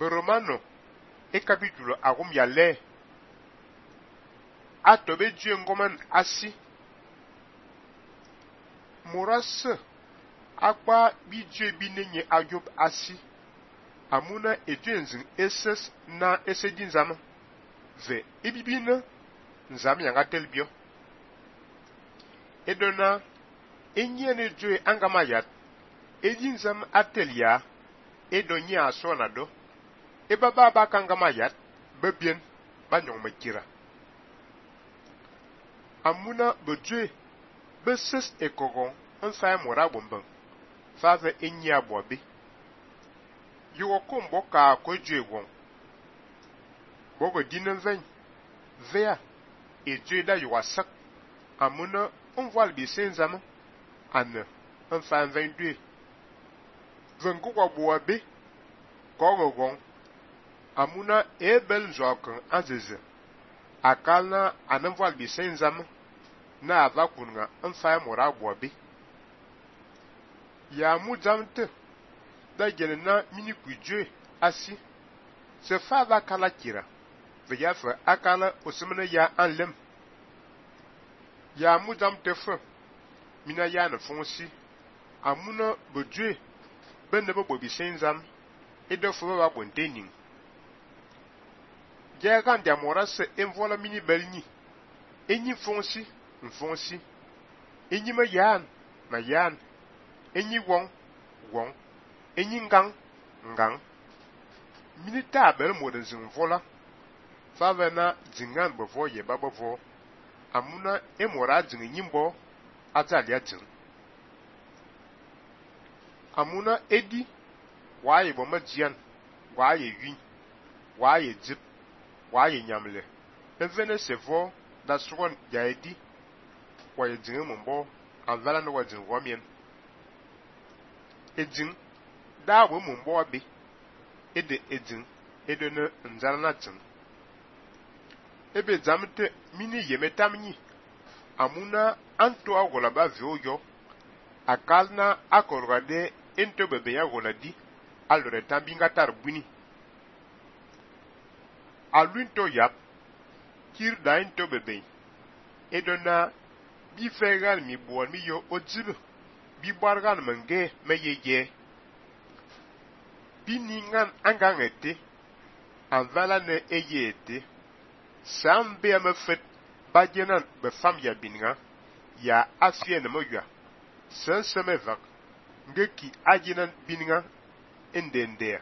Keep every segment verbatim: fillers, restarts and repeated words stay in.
Romano e capítulo agum ya le atobe Dieu ngoman asi moras akpa bi Dieu binenye ajob asi amuna etwenzin eses na esedin zama ve ibibina nzam yanga telbio edona enyene Dieu angamayat edin zam atelia edonya asona do e baba ba kangamayat bebien ba nyong mekira amuna bedwe beses ekogon onsa mora bomban fave enya bobe yugo kombo ka ko dwegon bogo dinan ven vea e dweda yuwa sak amuna on voile bi senzama an on fa vingt-deux vengu kwa bobe ko gon amuna ebel njokan azeze akalna anan voile bi senzama na ava kunga on fa mora bobe ya mu jamte da gelena mini kujwe asi se fa va kala kira veya fa akala osmene ya anlem ya mu jamte fa mina ya na fonsi amuna bodwe benne bo bobi senzam e do fo ba bontening ya kan dia morase envola mini belni enyi fonsi mfonsi enyi ma yan ma yan enyi won won enyi ngang ngang minita bel moden zin vola favena zingan bovo ye babavo amuna emora zin nyimbo atalia tin amuna edi waye bo majian waye yin waye dip waye nyamle evene sevo da sugon ya edi waye zin mumbo anvala no wazin womien edin da wo mumbo be ede edin ede no nzarana tin ebe zamte mini yemetamni amuna anto agola ba vioyo akalna akorgade ento bebe ya goladi alore tambinga tarbuni alunto yap kir da ento bebe edona bi fegal mi buon mi yo odzilu bi bargan menge meyeye bi ningan angangete anvala ne eyete sambe me fet bajenan be fam ya binga ya afie ne moya senseme vak ngeki ajinan binga endende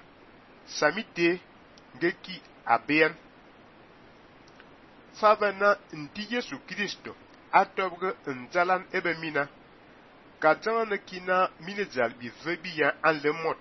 samite ngeki aben favana ndi Yesu Kristo atobge nzalan ebe mina katana kina minezal bi vebi ya an le mot